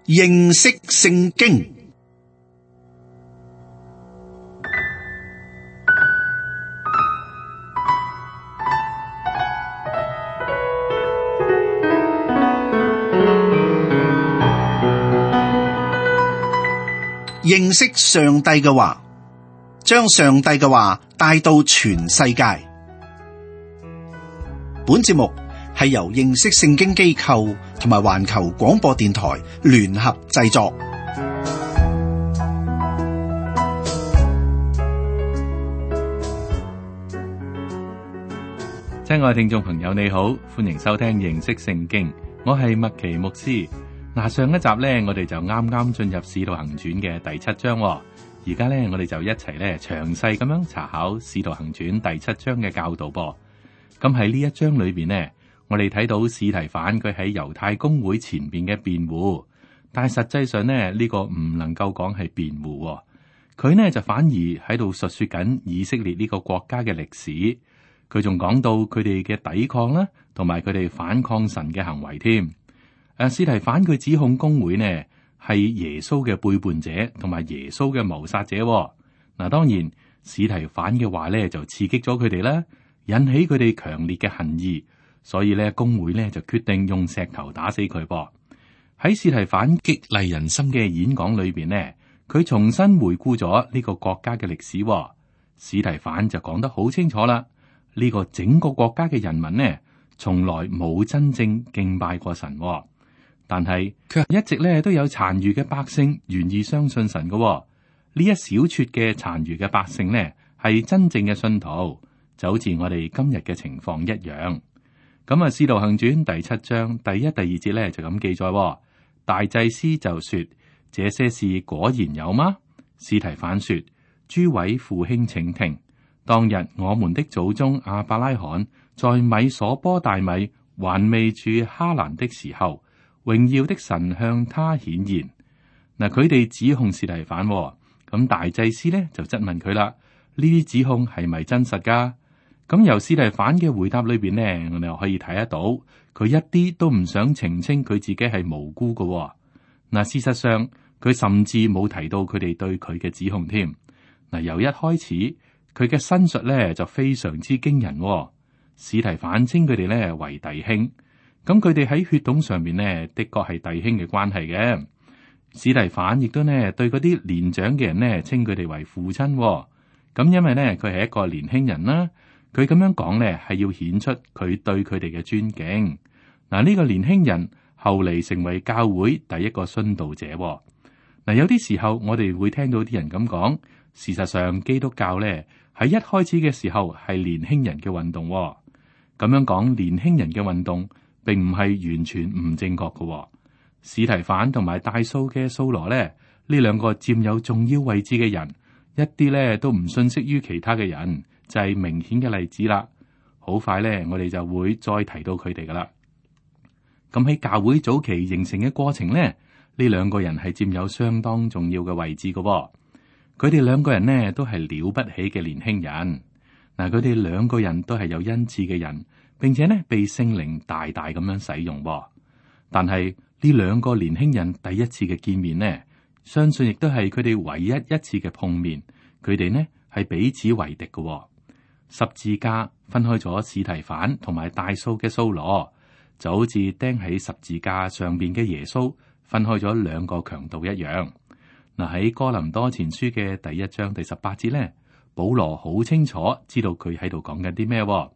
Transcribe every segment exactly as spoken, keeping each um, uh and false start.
認識聖經。認識上帝嘅話，將上帝嘅話帶到全世界。本節目係由認識聖經機構同埋環球廣播電台聯合製作。親愛聽眾朋友，你好，歡迎收聽認識聖經，我係麥奇牧師。嗱，上一集咧，我哋就啱啱進入《使徒行傳》嘅第七章，而家咧，我哋就一齊咧詳細咁樣查考《使徒行傳》第七章嘅教導噃。咁喺呢一章裏邊呢，我哋睇到司提反佢喺猶太公會前邊嘅辯護，但係實際上呢，呢個唔能夠講係辯護，佢呢就反而喺度述說緊以色列呢個國家嘅歷史。佢仲講到佢哋嘅抵抗啦，同埋佢哋反抗神嘅行為添。誒，司提反佢指控公會呢係耶穌嘅背叛者，同埋耶穌嘅謀殺者。嗱，當然司提反嘅話咧就刺激咗佢哋啦，引起佢哋強烈嘅恨意，所以咧公會咧就決定用石頭打死佢噃。喺司提反激勵人心嘅演講裏邊呢，佢重新回顧咗呢個國家嘅歷史。司提反就講得好清楚啦，呢個整個國家嘅人民呢，從來冇真正敬拜過神。但係卻一直咧都有殘餘嘅百姓願意相信神嘅。呢一小撮嘅殘餘嘅百姓呢，係真正嘅信徒，就好似我哋今日嘅情況一樣。咁啊，《使徒行傳》第七章第一、第二節咧就咁記載：大祭司就說：這些事果然有嗎？司提反說：諸位父兄請聽，當日我們的祖宗亞伯拉罕在米所波大米還未住哈蘭的時候，榮耀的神向他顯現。嗱，佢哋指控司提反，咁大祭司咧就質問佢啦：呢啲指控係咪真實噶？咁由司提反嘅回答裏邊呢，我哋又可以睇得到，佢一啲都唔想澄清佢自己係無辜噶。嗱，事實上佢甚至冇提到佢哋對佢嘅指控添。嗱，由一開始佢嘅申述咧就非常之驚人。司提反稱佢哋咧為弟兄。咁佢哋喺血統上面呢，的確係弟兄嘅關係嘅。司提反亦都呢對嗰啲年長嘅人呢，稱佢哋為父親。咁因為呢，佢係一個年輕人啦，佢咁樣講呢，係要顯出佢對佢哋嘅尊敬。嗱，呢個年輕人後嚟成為教會第一個殉道者。嗱，有啲時候我哋會聽到啲人咁講，事實上基督教呢，喺一開始嘅時候係年輕人嘅運動。咁樣講年輕人嘅運動，並唔係完全唔正確嘅。司提反同埋大數嘅掃羅咧，呢兩個佔有重要位置嘅人，一啲咧都唔遜色於其他嘅人，就係明顯嘅例子啦。好快咧，我哋就會再提到佢哋噶啦。咁喺教會早期形成嘅過程咧，呢兩個人係佔有相當重要嘅位置嘅。佢哋兩個人呢，都係了不起嘅年輕人。嗱，佢哋兩個人都係有恩賜嘅人，並且呢被聖靈大大咁樣使用。但係呢兩個年輕人第一次嘅見面呢，相信亦都係佢哋唯一一次嘅碰面。佢哋呢係彼此為敵嘅。十字架分開咗司提反同埋大數嘅掃羅，就好似釘喺十字架上邊嘅耶穌分開咗兩個強盜一樣。嗱，喺哥林多前書嘅第一章第十八節呢，保羅好清楚知道佢喺度講緊啲咩。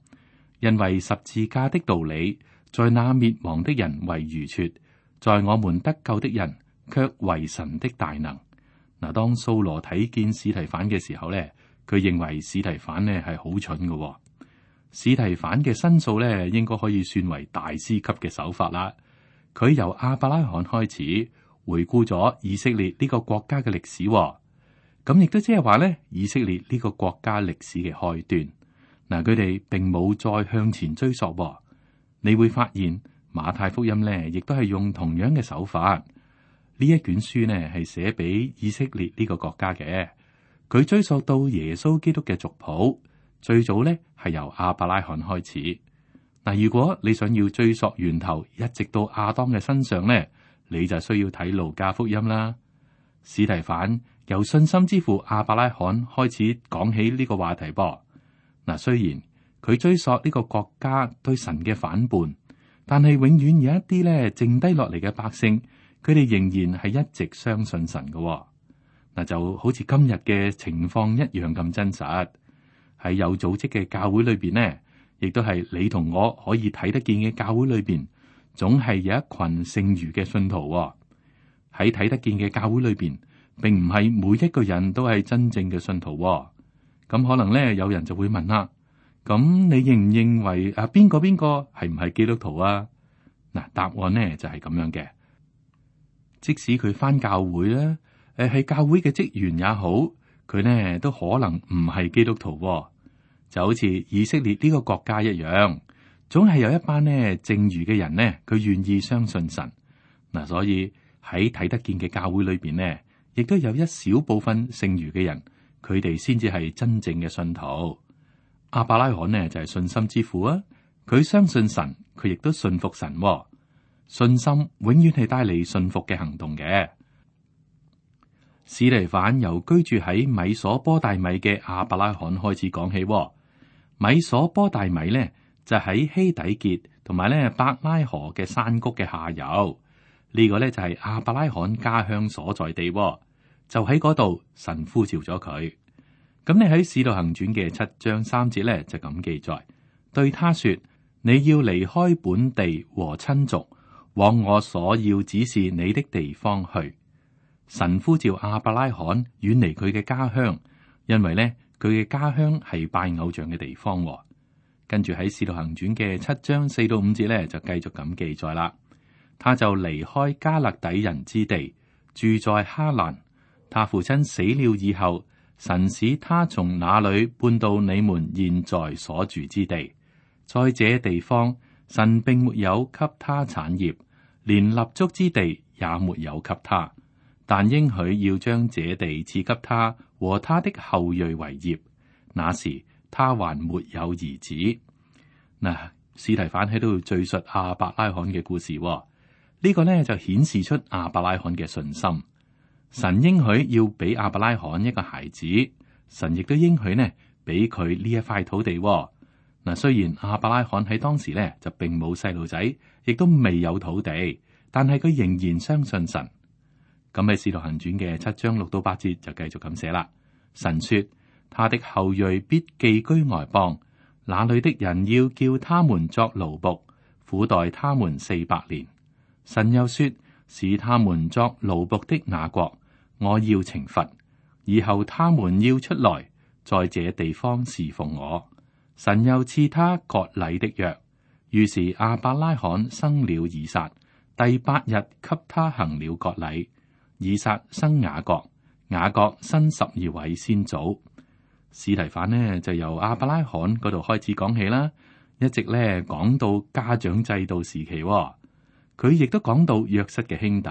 因為十字架的道理，在那滅亡的人為愚拙，在我們得救的人卻為神的大能。嗱，當掃羅睇見司提反嘅時候咧，佢認為司提反呢係好蠢嘅。司提反嘅申訴咧，應該可以算為大師級嘅手法啦。佢由亞伯拉罕開始回顧咗以色列呢個國家嘅歷史，咁亦都即係話咧，以色列呢個國家歷史嘅開端。嗱，佢哋並冇再向前追溯。你會發現馬太福音咧，亦都係用同樣嘅手法。呢一卷書呢係寫俾以色列呢個國家嘅。佢追溯到耶穌基督嘅族譜，最早咧係由亞伯拉罕開始。嗱，如果你想要追溯源頭，一直到亞當嘅身上咧，你就需要睇路加福音啦。司提反由信心之父亞伯拉罕開始講起呢個話題噃。嗱，雖然佢追溯呢個國家對神嘅反叛，但係永遠有一啲咧剩低落嚟嘅百姓，佢哋仍然係一直相信神嘅。嗱，就好似今日嘅情況一樣咁真實。喺有組織嘅教會裏邊呢，亦都係你同我可以睇得見嘅教會裏邊，總係有一群剩餘嘅信徒。喺睇得見嘅教會裏邊，並唔係每一個人都係真正嘅信徒。咁可能咧，有人就會問啦：咁你認唔認為啊邊個邊個係唔係基督徒啊？嗱，答案呢就係咁樣嘅。即使佢返教會咧，誒係教會嘅職員也好，佢呢都可能唔係基督徒。就好似以色列呢個國家一樣，總係有一班呢剩餘嘅人呢，佢願意相信神。嗱，所以喺睇得見嘅教會裏邊呢，亦都有一小部分剩餘嘅人，佢哋先至係真正嘅信徒。亞伯拉罕呢就係信心之父啊，佢相信神，佢亦都信服神。信心永遠係帶嚟信服嘅行動嘅。司提反由居住喺米所波大米嘅亞伯拉罕開始講起。米所波大米呢，就喺希底結同埋咧伯拉河嘅山谷嘅下游。呢、這個呢，就係亞伯拉罕家鄉所在地。就喺嗰度，神呼召咗佢。咁你喺《使徒行傳》嘅七章三節呢，就咁記載，對他說：你要離開本地和親族，往我所要指示你的地方去。神呼召亞伯拉罕遠離佢嘅家鄉，因為呢，佢嘅家鄉係拜偶像嘅地方。跟住喺《使徒行傳》嘅七章四到五節呢，就繼續咁記載啦。他就離開加勒底人之地，住在哈蘭。他父親死了以後，神使他從那裏搬到你們現在所住之地。在這地方，神並沒有給他產業，連立足之地也沒有給他，但應許要將這地賜給他和他的後裔為業。那時他還沒有兒子。嗱，司提反喺度敘述亞伯拉罕嘅故事。呢、這個呢，就顯示出亞伯拉罕嘅信心。神應許要俾亞伯拉罕一個孩子，神亦都應許呢俾佢呢一塊土地。嗱，雖然亞伯拉罕喺當時呢就並冇細路仔，亦都未有土地，但係佢仍然相信神。咁喺《使徒行傳》嘅七章六到八節就繼續咁寫啦。神說：他的後裔必寄居外邦，那裏的人要叫他們作奴僕，苦待他們四百年。神又說：使他們作奴僕的雅各，我要懲罰，以後他們要出來，在這地方侍奉我。神又賜他割禮的約，於是亞伯拉罕生了以撒，第八日給他行了割禮。以撒生雅各，雅各生十二位先祖。司提反呢就由亞伯拉罕嗰度開始講起啦，一直咧講到家長制度時期。佢亦都講到約瑟嘅兄弟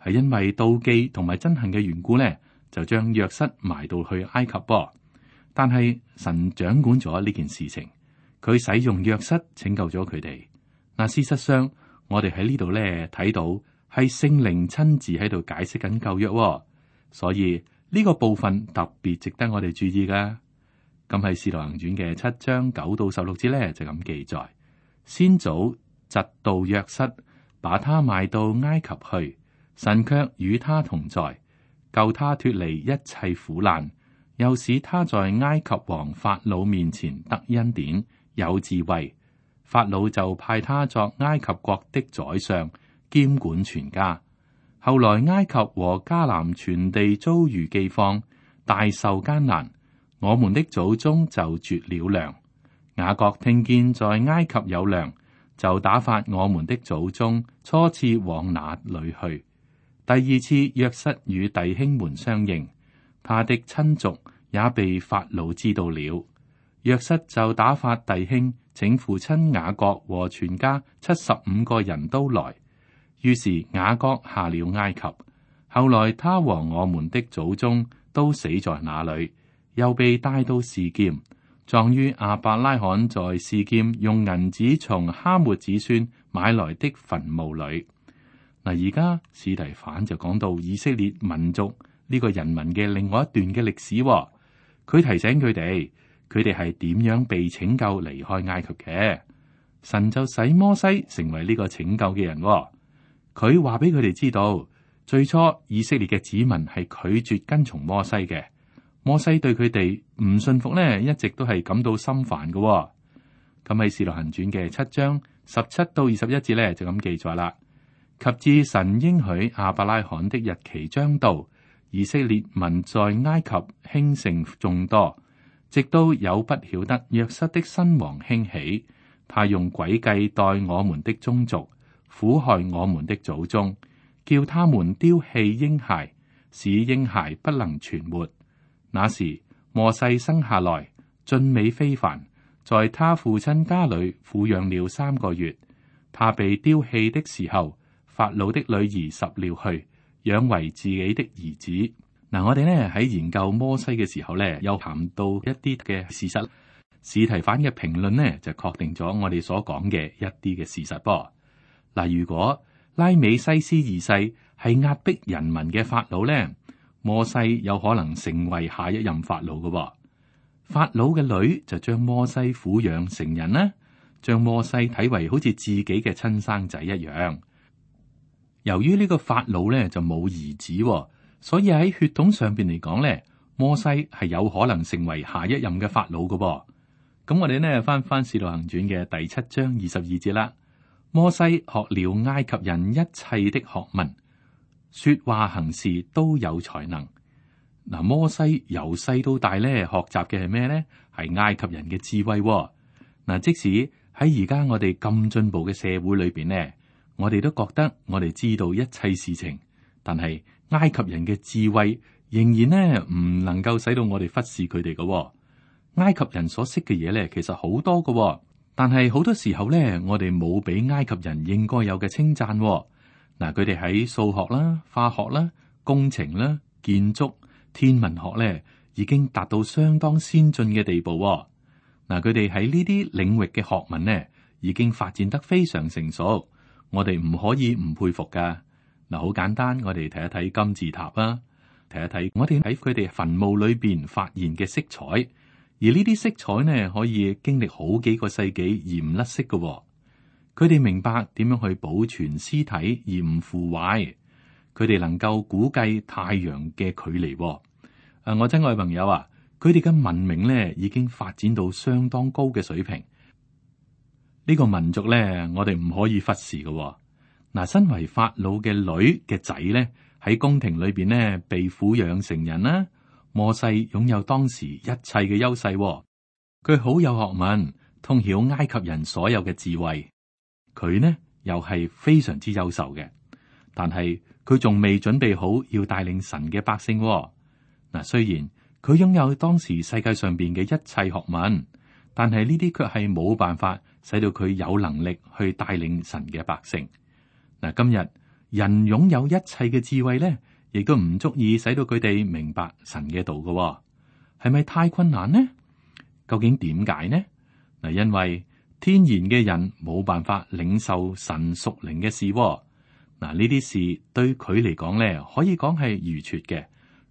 係因為妒忌同埋憎恨嘅緣故呢，就將約瑟埋到去埃及噃。但係神掌管咗呢件事情，佢使用約瑟拯救咗佢哋。嗱，事實上我哋喺呢度咧睇到係聖靈親自喺度解釋緊舊約，所以呢個部分特別值得我哋注意噶。咁喺《使徒行傳》嘅七章九到十六節咧就咁記載：先祖嫉妒約瑟，把他賣到埃及去，神卻與他同在，救他脫離一切苦難，又使他在埃及王法老面前得恩典，有智慧。法老就派他作埃及國的宰相，兼管全家。後來埃及和迦南全地遭遇饑荒，大受艱難，我們的祖宗就絕了糧。雅各聽見在埃及有糧，就打發我們的祖宗初次往那裏去。第二次約瑟與弟兄們相認，他的親族也被法老知道了。約瑟就打發弟兄請父親雅各和全家七十五個人都來。於是雅各下了埃及，後來他和我們的祖宗都死在那裏，又被帶到示劍，葬於亞伯拉罕在示劍用銀子從哈末子孫買來的墳墓裏。嗱，而家司提反就講到以色列民族呢個人民嘅另外一段嘅歷史，佢提醒佢哋，佢哋係點樣被拯救離開埃及嘅。神就使摩西成為呢個拯救嘅人，佢話俾佢哋知道，最初以色列嘅子民係拒絕跟從摩西嘅，摩西對佢哋唔信服呢，一直都係感到心煩嘅。咁喺《使徒行傳》嘅七章十七到二十一節呢，就咁記載啦。及至神應許亞伯拉罕的日期將到，以色列民在埃及興盛眾多，直到有不曉得約瑟的新王興起，他用詭計待我們的宗族，苦害我們的祖宗，叫他們丟棄嬰孩，使嬰孩不能存活。那時摩西生下來，俊美非凡，在他父親家裏撫養了三個月。他被丟棄的時候，法老的女兒拾了去，養為自己的兒子。嗱，我哋呢喺研究摩西嘅時候呢，又談到一啲嘅事實。司提反嘅評論呢，就確定咗我哋所講嘅一啲嘅事實噃。嗱，如果拉美西斯二世係壓迫人民嘅法老呢，摩西有可能成為下一任法老嘅。法老嘅女就將摩西撫養成人啦，將摩西睇為好似自己嘅親生仔一樣。由於呢個法老咧就冇兒子，所以喺血統上邊嚟講咧，摩西係有可能成為下一任嘅法老嘅。咁我哋呢翻翻《使徒行傳》嘅第七章二十二節啦。摩西學了埃及人一切的學問，說話行事都有才能。嗱，摩西由細到大咧學習嘅係咩咧？係埃及人嘅智慧。嗱，即使喺而家我哋咁進步嘅社會裏邊呢，我哋都覺得我哋知道一切事情，但係埃及人嘅智慧仍然呢唔能夠使到我哋忽視佢哋嘅。埃及人所識嘅嘢咧，其實好多嘅，但係好多時候咧，我哋冇俾埃及人應該有嘅稱讚。嗱，佢哋喺數學啦、化學啦、工程啦、建築、天文學咧，已經達到相當先進嘅地步。嗱，佢哋喺呢啲領域嘅學問呢，已經發展得非常成熟。我哋唔可以唔佩服噶。嗱，好簡單，我哋睇一睇金字塔啦，睇一睇我哋喺佢哋墳墓裏邊發現嘅色彩，而呢啲色彩呢，可以經歷好幾個世紀而唔甩色嘅。佢哋明白點樣去保存屍體而唔腐壞，佢哋能夠估計太陽嘅距離。誒，我親愛朋友啊，佢哋嘅文明呢，已經發展到相當高嘅水平。呢個民族咧，我哋唔可以忽視嘅。嗱，身為法老嘅女嘅仔咧，喺宮廷裏邊呢，被撫養成人啦。摩西擁有當時一切嘅優勢，佢好有學問，通曉埃及人所有嘅智慧。佢呢又係非常之優秀嘅，但係佢仲未準備好要帶領神嘅百姓。嗱，雖然佢擁有當時世界上邊嘅一切學問，但係呢啲卻係冇辦法使到佢有能力去帶領神嘅百姓。嗱，今日人擁有一切嘅智慧咧，亦都唔足以使到佢哋明白神嘅道嘅，係咪太困難呢？究竟點解呢？嗱，因為天然嘅人冇辦法領受神屬靈嘅事。嗱，呢啲事對佢嚟講咧，可以講係愚拙嘅。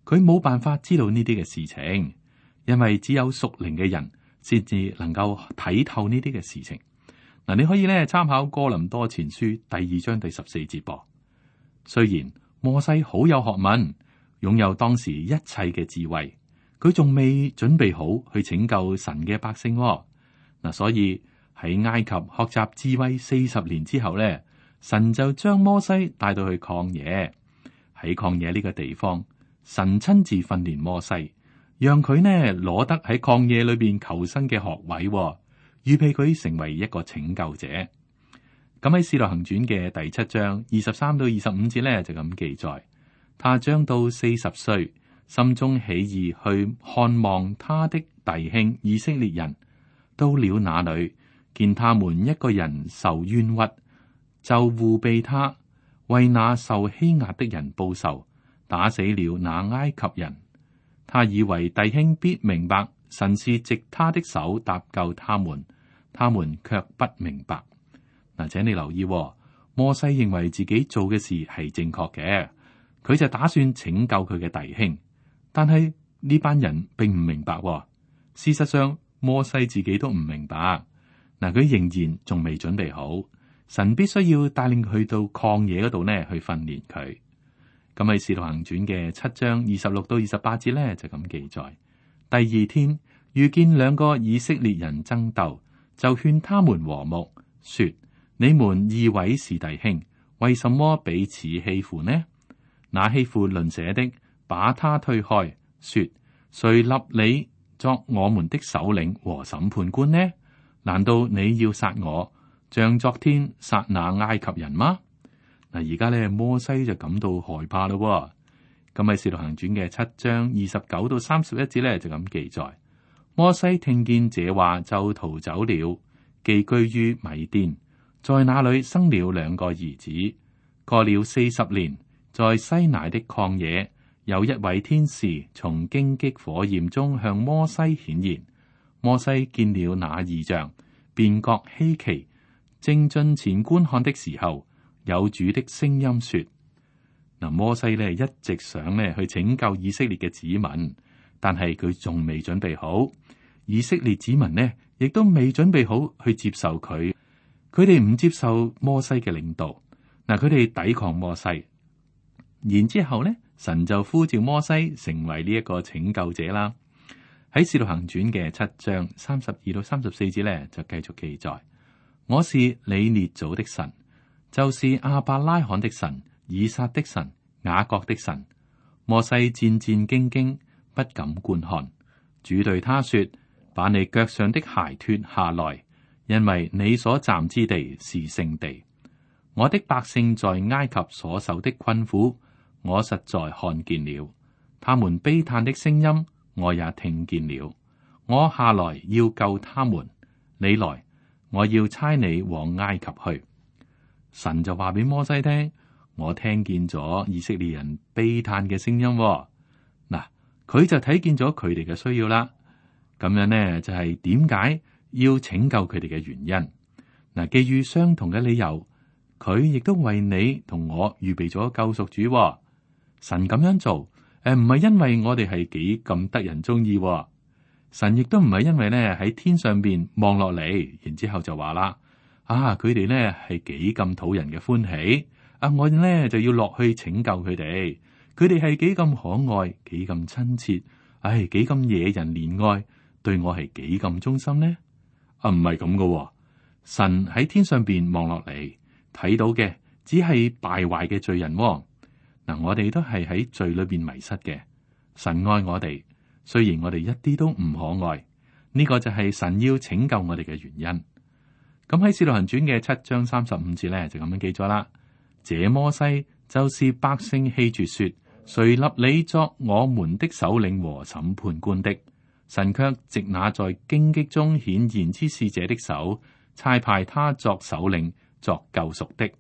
佢冇辦法知道呢啲嘅事情，因為只有屬靈嘅人先至能夠睇透呢啲嘅事情。嗱，你可以咧參考哥林多前書第二章第十四節噃。雖然摩西好有學問，擁有當時一切嘅智慧，佢仲未準備好去拯救神嘅百姓。嗱，所以喺埃及學習智慧四十年之後咧，神就將摩西帶到去曠野。喺曠野呢個地方，神親自訓練摩西，讓佢呢攞得喺曠野裏邊求生嘅學位，預備佢成為一個拯救者。咁喺《使徒行傳》嘅第七章二十三到二十五節咧，就咁記載：他將到四十歲，心中起意去看望他的弟兄以色列人，到了那裏，見他們一個人受冤屈，就護庇他，為那受欺壓的人報仇，打死了那埃及人。他以為弟兄必明白神是藉他的手搭救他們，他們卻不明白。嗱，請你留意，摩西認為自己做嘅事係正確嘅，佢就打算拯救佢嘅弟兄。但係呢班人並唔明白喎。事實上，摩西自己都唔明白。嗱，佢仍然仲未準備好，神必須要帶領佢到曠野嗰度呢去訓練佢。咁喺《使徒行傳》嘅七章二十六到二十八節呢，就咁記載：第二天遇見兩個以色列人爭鬥，就勸他們和睦，說：你們二位是弟兄，為什麼彼此欺負呢？那欺負鄰舍的把他推開，說：誰立你作我們的首領和審判官呢？難道你要殺我，像昨天殺那埃及人嗎？嗱，而家咧摩西就感到害怕咯。咁喺《使徒行傳》嘅七章二十九到三十一節咧就咁記載：摩西聽見這話就逃走了，寄居於米甸，在那裏生了兩個兒子。過了四十年，在西乃的曠野，有一位天使從荊棘火焰中向摩西顯現。摩西見了那異象，便覺稀奇，正進前觀看的時候，有主的聲音說：嗱，摩西呢一直想呢去拯救以色列嘅子民，但係佢仲未準備好。以色列子民呢亦都未準備好去接受佢，佢哋唔接受摩西嘅領導。嗱，佢哋抵抗摩西，然之後呢，神就呼召摩西成為呢一個拯救者啦。喺《使徒行傳》嘅七章三十二到三十四節呢，就繼續記載：我是你列祖的神，就是亞伯拉罕的神、以撒的神、雅各的神。摩西戰戰兢兢，不敢觀看。主對他說：把你腳上的鞋脱下來，因為你所站之地是聖地。我的百姓在埃及所受的困苦，我實在看見了；他們悲嘆的聲音，我也聽見了。我下來要救他們，你來，我要差你往埃及去。神就話俾摩西聽：我聽見咗以色列人悲嘆嘅聲音。嗱，佢就睇見咗佢哋嘅需要啦。咁樣呢，就係點解要拯救佢哋嘅原因。嗱，基於相同嘅理由，佢亦都為你同我預備咗救贖主。神咁樣做，誒，唔係因為我哋係幾咁得人中意。神亦都唔係因為咧喺天上邊望落嚟，然之後就話啦：啊，佢哋咧係幾咁討人嘅歡喜，啊，我咧就要落去拯救佢哋。佢哋係幾咁可愛，幾咁親切，唉，幾咁惹人憐愛，對我係幾咁忠心呢？啊，唔係咁噶。神喺天上邊望落嚟，睇到嘅只係敗壞嘅罪人。嗱，我哋都係喺罪裏邊迷失嘅。神愛我哋，雖然我哋一啲都唔可愛，呢個就係神要拯救我哋嘅原因。咁喺《使徒行傳》嘅七章三十五節咧，就咁樣記咗啦。這摩西就是百姓棄絕說：誰立你作我們的首領和審判官的？神卻藉那在荊棘中顯現之使者的手，差派他作首領，作救贖的。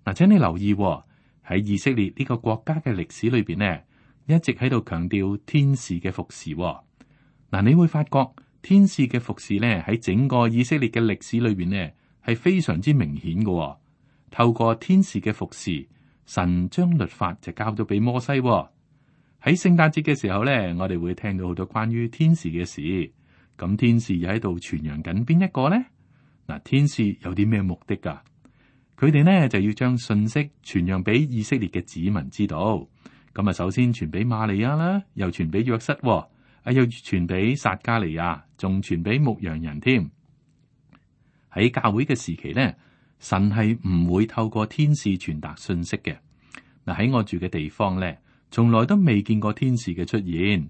嗱，請你留意喎，喺以色列呢個國家嘅歷史裏邊呢，一直喺度強調天使嘅服侍喎。嗱，你會發覺天使嘅服侍呢，喺整個以色列嘅歷史裏邊呢，係非常之明顯嘅喎。透過天使嘅服侍，神將律法就交咗俾摩西喎。喺聖誕節嘅時候呢，我哋會聽到好多關於天使嘅事。咁天使又喺度傳揚緊邊一個呢？嗱，天使有啲咩目的噶？佢哋呢就要將信息傳揚俾以色列嘅子民知道。咁啊，首先傳俾瑪利亞啦，又傳俾約瑟，啊，又傳俾撒加利亞，仲傳俾牧羊人添。喺教會嘅時期呢，神係唔會透過天使傳達信息嘅。嗱，喺我住嘅地方呢，從來都未見過天使嘅出現，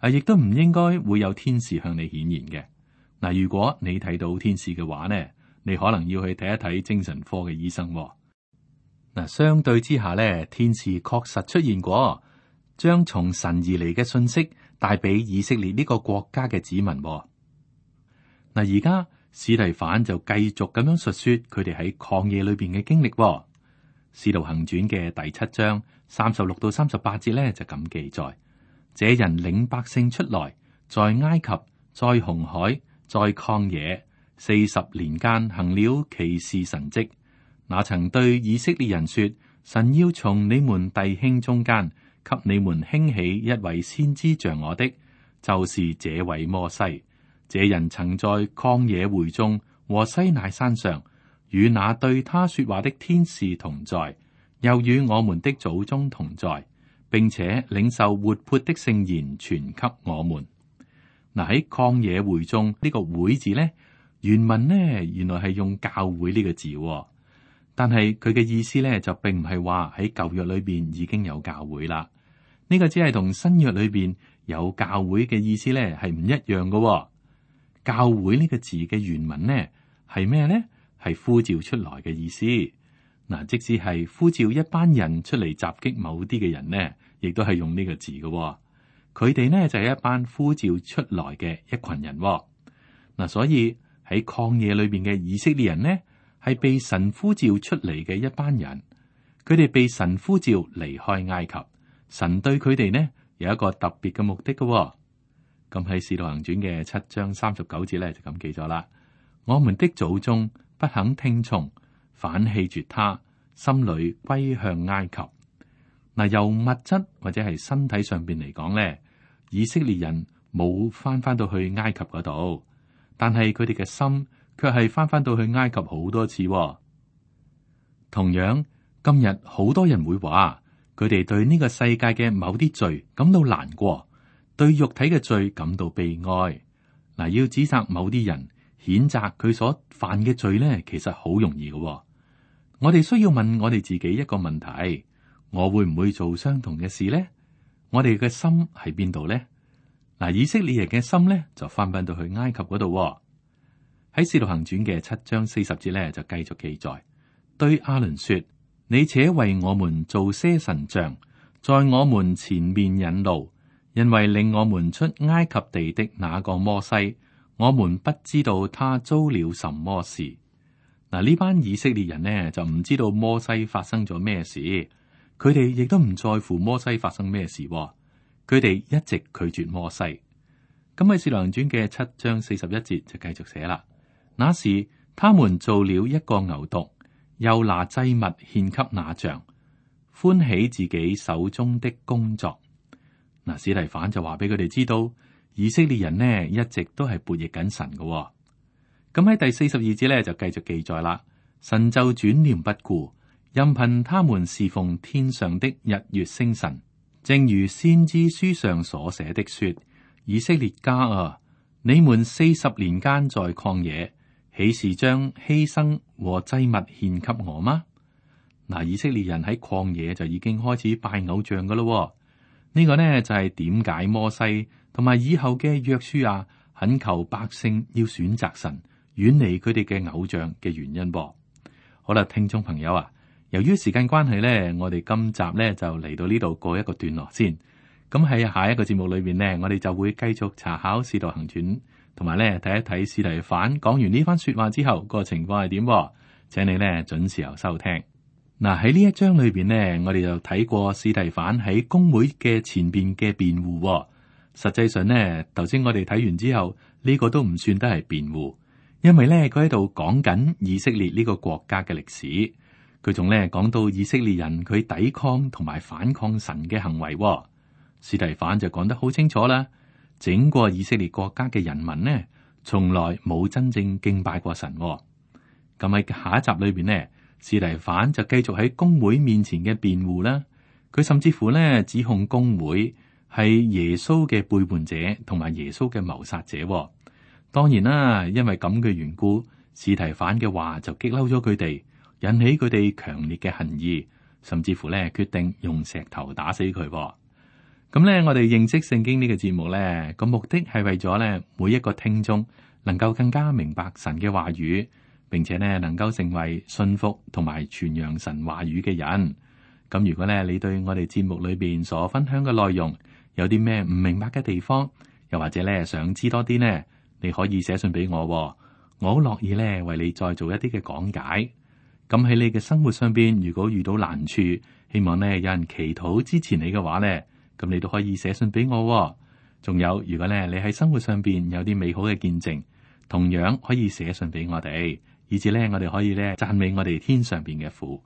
啊，亦都唔應該會有天使向你顯現嘅。嗱，如果你睇到天使嘅話呢，你可能要去睇一睇精神科嘅醫生。嗱，相對之下呢，天使確實出現過，將從神而嚟嘅信息帶俾以色列呢個國家嘅子民。嗱，而家司提反就繼續咁樣述說佢哋喺曠野裏邊嘅經歷。使徒行傳嘅第七章三十六到三十八節呢，就咁記載：這人領百姓出來，在埃及，在紅海，在曠野四十年間行了奇事神蹟。那曾對以色列人說：神要從你們弟兄中間給你們興起一位先知像我的，就是這位摩西。這人曾在曠野會中和西乃山上與那對他說話的天使同在，又與我們的祖宗同在，並且領受活潑的聖言傳給我們。嗱，喺曠野會中呢個會字呢，原文呢原來係用教會呢個字，但係佢嘅意思呢就並唔係話喺舊約裏邊已經有教會啦。呢個只係同新約裏邊有教會嘅意思呢係唔一樣嘅。教會呢個字嘅原文呢係咩呢？係呼召出來嘅意思。嗱，即使係呼召一班人出嚟襲擊某啲嘅人呢，亦都係用呢個字嘅。佢哋呢就係一班呼召出來嘅一群人。嗱，所以喺曠野裏邊嘅以色列人呢，係被神呼召出嚟嘅一班人。佢哋被神呼召離開埃及，神對佢哋呢有一個特別嘅目的嘅。咁喺《使徒行傳》嘅七章三十九節咧就咁記咗啦。我們的祖宗不肯聽從，反棄絕他，心裏歸向埃及。嗱，由物質或者係身體上邊嚟講咧，以色列人冇翻翻到去埃及嗰度，但係佢哋嘅心卻係翻翻到去埃及好多次。同樣，今日好多人會話，佢哋對呢個世界嘅某啲罪感到難過。對肉體嘅罪感到悲哀。嗱，要指責某啲人，譴責佢所犯嘅罪呢，其實好容易嘅。我哋需要問我哋自己一個問題：我會唔會做相同嘅事呢？我哋嘅心喺邊度呢？嗱，以色列人嘅心呢，就翻返到去埃及嗰度。喺《使徒行傳》嘅七章四十節呢，就繼續記載，對亞倫說：你且為我們做些神像，在我們前面引路。因為令我們出埃及地的那個摩西，我們不知道他遭了什麼事。嗱，呢班以色列人呢就唔知道摩西發生咗咩事，佢哋亦都唔在乎摩西發生咩事。佢哋一直拒絕摩西。咁喺《使徒行傳》嘅七章四十一節就繼續寫啦。那時他們做了一個牛犢，又拿祭物獻給那像，歡喜自己手中的工作。嗱，司提反就話俾佢哋知道，以色列人呢一直都係悖逆緊神嘅。咁喺第四十二節咧就繼續記載啦。神就轉念不顧，任憑他們侍奉天上的日月星辰，正如先知書上所寫的說：以色列家啊，你們四十年間在曠野，豈是將犧牲和祭物獻給我嗎？嗱，以色列人喺曠野就已經開始拜偶像噶咯。呢個呢就係點解摩西同埋以後嘅約書亞懇求百姓要選擇神，遠離佢哋嘅偶像嘅原因噃。好啦，聽眾朋友啊，由於時間關係呢，我哋今集呢就嚟到呢度過一個段落先。咁喺下一個節目裏邊呢，我哋就會繼續查考《使徒行傳》，同埋呢睇一睇司提反講完呢番說話之後個情況係點。請你呢準時候收聽。嗱，喺呢一章裏邊呢，我哋就睇過司提反喺公會嘅前邊嘅辯護。實際上呢，頭先我哋睇完之後，呢個都唔算得係辯護，因為呢，佢喺度講緊以色列呢個國家嘅歷史。佢仲呢講到以色列人佢抵抗同埋反抗神嘅行為。司提反就講得好清楚啦，整個以色列國家嘅人民呢，從來冇真正敬拜過神。咁喺下一集裏邊呢，司提反就繼續喺公會面前嘅辯護啦，佢甚至乎咧指控公會係耶穌嘅背叛者同埋耶穌嘅謀殺者。當然啦，因為咁嘅緣故，司提反嘅話就激嬲咗佢哋，引起佢哋強烈嘅恨意，甚至乎咧決定用石頭打死佢。咁咧，我哋認識聖經呢個節目咧，個目的係為咗咧每一個聽眾能夠更加明白神嘅話語。並且呢，能夠成為信服同埋傳揚神話語嘅人。咁如果咧你對我哋節目裏邊所分享嘅內容有啲咩唔明白嘅地方，又或者咧想知多啲呢，你可以寫信俾我，我好樂意咧為你再做一啲嘅講解。咁喺你嘅生活上邊，如果遇到難處，希望呢有人祈禱支持你嘅話呢，咁你都可以寫信俾我。仲有，如果咧你喺生活上邊有啲美好嘅見證，同樣可以寫信俾我哋。以至咧我哋可以咧讚美我哋天上邊嘅父。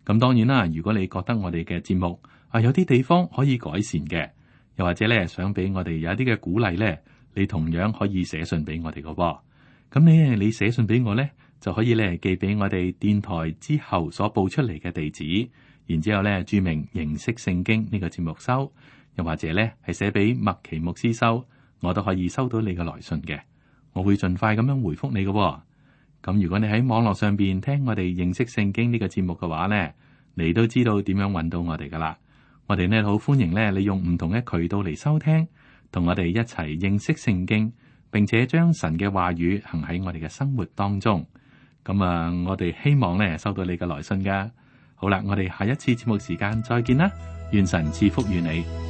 咁當然啦，如果你覺得我哋嘅節目啊有啲地方可以改善嘅，又或者咧想俾我哋有一啲嘅鼓勵咧，你同樣可以寫信俾我哋嘅。咁你你寫信俾我咧，就可以咧寄俾我哋電台之後所報出嚟嘅地址，然之後咧注明認識聖經呢個節目收，又或者咧係寫俾麥奇牧師收，我都可以收到你嘅來信嘅。我會盡快咁樣回覆你嘅。咁如果你喺網絡上邊聽我哋認識聖經呢個節目嘅話咧，你都知道點樣揾到我哋噶啦。我哋呢好歡迎咧，你用唔同嘅渠道嚟收聽，同我哋一齊認識聖經，並且將神嘅話語行喺我哋嘅生活當中。咁啊，我哋希望咧收到你嘅來信噶。好啦，我哋下一次節目時間再見啦，願神賜福於你。